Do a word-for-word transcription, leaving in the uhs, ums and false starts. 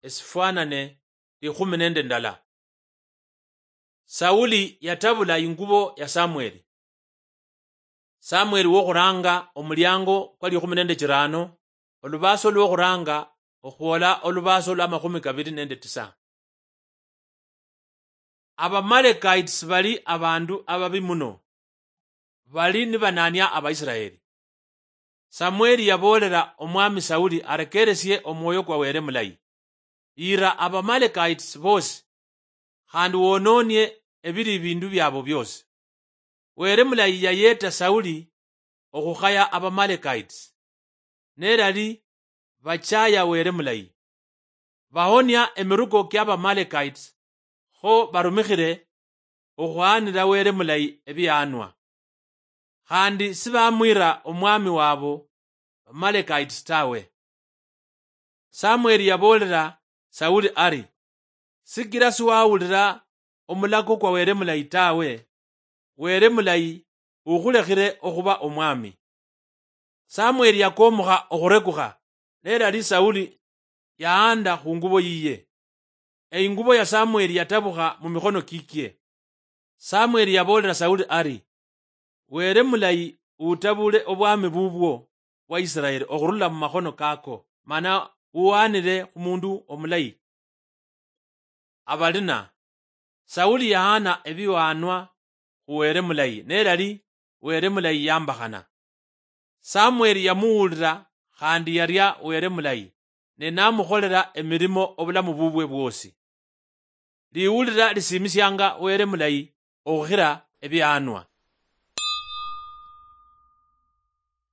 esifwanane likhumi nende ndala. Sauli yatabula ingubo ya Samweli. Samweli wokhuranga, omuliango kwa likhumi nende chirano, olubaaso lwokhuranga okhwola olubaaso lwa makhumi kabili nende tisa. Abamalekaiti bali abandu ababi muno, bali nibanania Abaisiraeli. Samweli yaboolela Omwami Sauli arekeresie omwoyo kwa Wele Mulayi, yira Abamalekaiti boosi, khandi wononie ebili ebindu biabo biosi. Wele Mulayi yayeta Sauli okhukhaya Abamalekaiti, nelali bachaya Wele Mulayi. Bahonia emiruko kia Bamalekaiti, kho barumikhire okhwaanira Wele Mulayi ebiyaanwa. Khandi sibamwira omwami wabo Bamalekaiti tawe. Samweli yaboolela Sauli ari, "Sikila siwawulira omulako kwa Wele Mulayi tawe, Wele Mulayi ukhulekhile okhuba omwami." Samweli yakomokha okhurekukha, nelali Sauli yaanda khungubo yiye. Eingubo ya Samweli yatabukha mumikhono kikie. Samweli yaboolela Sauli ari, "Wele Mulayi utabule obwami bubwo bwa Isiraeli okhurula mumakhono kako, mana uwanire khumundu omulayi." Abalina, Sauli yahana ebiwaanwa khu Wele Mulayi, nelali Wele Mulayi yambakhana. Samweli yamuwulira khandi yaria Wele Mulayi, ne namukholela emirimo obulamu bubwe bwosi. Liwulira lisiimisianga Wele Mulayi okhukhila ebiyaanwa.